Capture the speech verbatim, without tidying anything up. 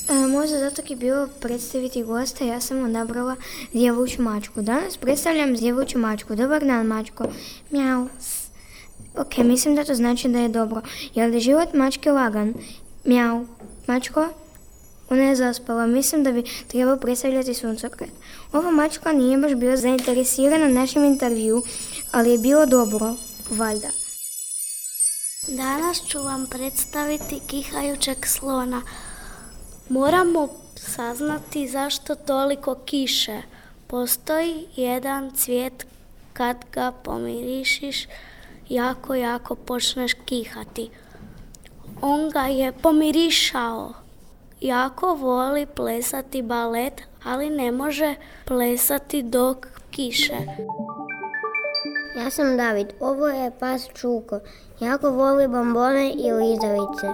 E, možda zato je bilo predstaviti gosta, ja sam odabrala djevuću mačku. Danas predstavljam djevuću mačku. Dobar dan, mačko. Mjau. Ok, mislim da to znači da je dobro. Je li život mačke lagan? Mjau. Mačko? Ona je zaspala. Mislim da bi trebao predstavljati suncokret. Ova mačka nije baš bila zainteresirana našem intervju, ali je bilo dobro, valjda. Danas ću vam predstaviti kihajućeg slona. Moramo saznati zašto toliko kiše. Postoji jedan cvijet, kad ga pomirišiš, jako, jako počneš kihati. On ga je pomirišao. Jako voli plesati balet, ali ne može plesati dok kiše. Ja sam David, ovo je pas Čuko. Jako voli bombone i lizavice.